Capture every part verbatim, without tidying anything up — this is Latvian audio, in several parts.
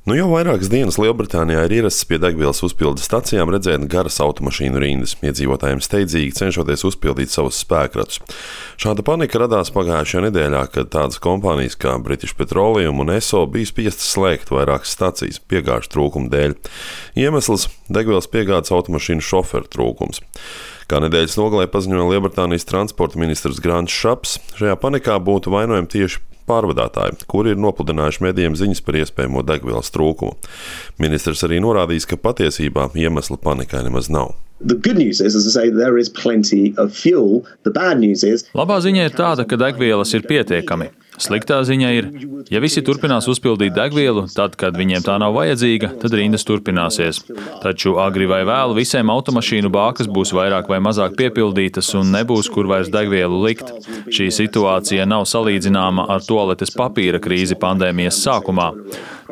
Nu jau vairākas dienas Lielbritānijā ir ierasts pie degvielas uzpildes stacijām redzēt garas automašīnu rindas, iedzīvotājiem steidzīgi cenšoties uzpildīt savus spēkratus. Šāda panika radās pagājušajā nedēļā, kad tādas kompānijas kā British Petroleum un Esso bija spiestas slēgt vairākas stacijas piegāžu trūkuma dēļ. Iemesls - degvielas piegādes automašīnu šoferu trūkums. Kā nedēļas nogalē paziņoja Lielbritānijas transporta ministrs Grants Shapps, šajā panikā būtu vainojami tieši pārvadātāji, kuri ir nopludinājuši medijiem ziņas par iespējamo degvielas trūkumu. Ministrs arī norādījis, ka patiesībā iemesla panikai nemaz nav. Labā ziņa ir tāda, ka degvielas ir pietiekami. Sliktā ziņa ir, ja visi turpinās uzpildīt degvielu, tad, kad viņiem tā nav vajadzīga, tad rindas turpināsies. Taču agri vai vēlu visiem automašīnu bākas būs vairāk vai mazāk piepildītas un nebūs, kur vairs degvielu likt. Šī situācija nav salīdzināma ar tualetes papīra krīzi pandēmijas sākumā.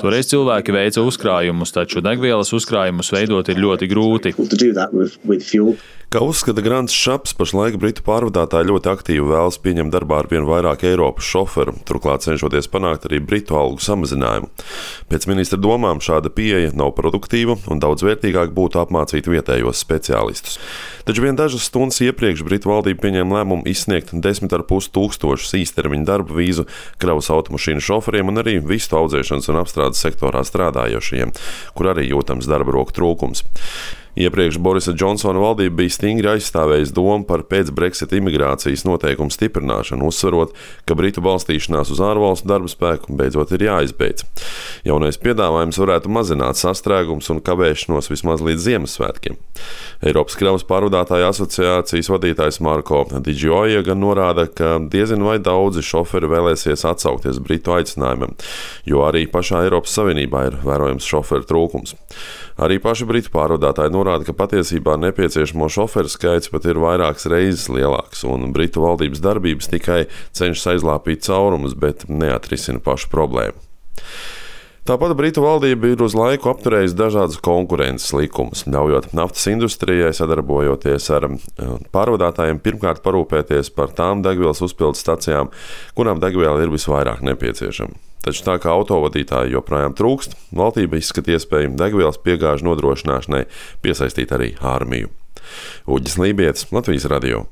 Toreiz cilvēki veica uzkrājumus, taču degvielas uzkrājumus veidot ir ļoti grūti. Kā uzskata Grants Shapps, pašlaik britu pārvadātāji ļoti aktīvi vēlas pieņemt darbā ar vien vairāk Eiropas šoferu, turklāt cenšoties panākt arī britu algu samazinājumu. Pēc ministra domām šāda pieeja nav produktīva un daudz vērtīgāk būtu apmācīt vietējos speciālistus. Taču vien dažas stundas iepriekš Britu valdība pieņēma lēmumu izsniegt desmit ar pus tūkstošus īstermiņa darba vīzu kravas automašīnu šoferiem un arī vistu audzēšanas un apstrādes sektorā strādājošajiem, kur arī jūtams darba roku trūkums. Iepriekš Borisa Džonsona valdība bija stingri aizstāvējusi domu par pēc-Brexit imigrācijas noteikumu stiprināšanu, uzsverot, ka Britu balstīšanās uz ārvalstu darba spēku beidzot ir jāizbeidz. Jaunais piedāvājums varētu mazināt sastrēgums un kavēšanos vismaz līdz Ziemassvētkiem. Eiropas kravas pārvadātāju asociācijas vadītājs Marko Di Gioia gan norāda, ka diezin vai daudzi šoferi vēlēsies atsaukties Britu aicinājumam, jo arī pašā Eiropas Savienībā ir vērojams šoferu trūkums. Arī paši Britu pārvadātāji norāda, ka patiesībā nepieciešamo šoferu skaits pat ir vairākas reizes lielāks, un Britu valdības darbības tikai cenšas aizlāpīt caurumus, bet neatrisina pašu problēmu. Tāpat Britu valdība ir uz laiku apturējusi dažādas konkurences likumus, ļaujot naftas industrijai sadarbojoties ar pārvadātājiem pirmkārt parūpēties par tām degvielas uzpildes stacijām, kurām degviela ir visvairāk nepieciešama. Taču tā kā autovadītāji joprojām trūkst, valdība izskata iespēju degvielas piegāžu nodrošināšanai piesaistīt arī armiju. Uģis Lībietis, Latvijas radio.